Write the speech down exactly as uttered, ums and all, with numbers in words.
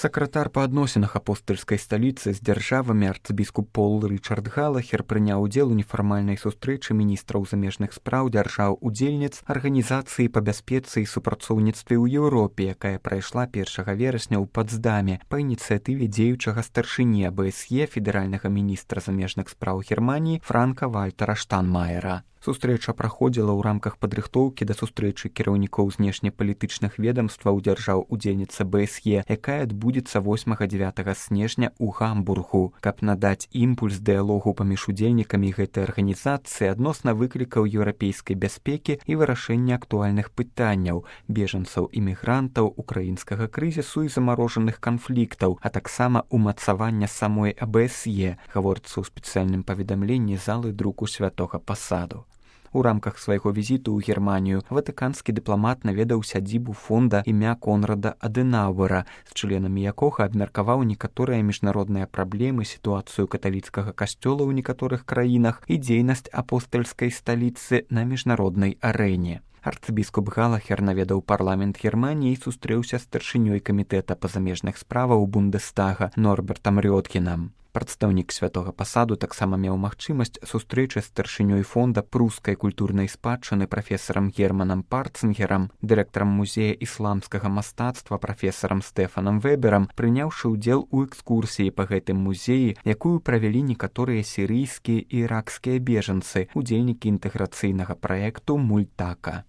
Сакратар па адносінах апостальскай сталіцы з дзяржавамі арцыбіскуп Пол Рычард Галахер прыняў удзел у нефармальнай сустрэчы міністраў замежных спраў дзяржаў-удзельніц арганізацыі па бяспецы і супрацоўніцтве ў Еўропе, якая прайшла першага верасня ў Патсдаме па ініцыятыве дзеючага старшыні а бэ эс е федэральнага міністра замежных спраў Германіі Франка-Вальтера Штанмаера. Сустрэча праходзіла ў рамках падрыхтоўкі да сустрэчы кіраўнікоў знешнепалітычных ведамстваў дзяржаў-удзельніц а бэ эс е, якая адбудзецца восьмага-дзявятага снежня ў Гамбургу, каб надаць імпульс дыялогу паміж удзельнікамі гэтай арганізацыі адносна выклікаў еўрапейскай бяспекі і вырашэння актуальных пытанняў бежанцаў, імігрантаў, украінскага крызісу і замарожаных канфліктаў, а таксама умацавання самой а бэ эс е, гаворыцца ў спецыяльным паведамленні залы друку святога Пасаду. У рамках свайго візіту ў Германію ватыканскі дыпламат наведаў сядзібу фонда імя Конрада Адэнаўэра, з членамі якога абмеркаваў некаторыя міжнародныя праблемы, сітуацыю каталіцкага касцёла ў некаторых краінах і дзейнасць апостальскай сталіцы на міжнароднай арэне. Арцыбіскуп Галахер наведаў парламент Германіі і сустрэўся з старшынёй камітэта па замежных справаў Бундестага Норбертам Рёткінам. Прадстаўнік святога Пасаду таксама меў магчымасць сустрэчы з старшынёй фонда прускай культурнай спадчыны прафесарам Германам Парцынгерам, дырэктарам музея ісламскага мастацтва прафесарам Стэфанам Вэберам, прыняўшы ўдзел у экскурсіі па гэтым музеі, якую правялі некаторыя сірыйскія і іракскія бежанцы, удзельнікі інтэграцыйнага праекту Мультака.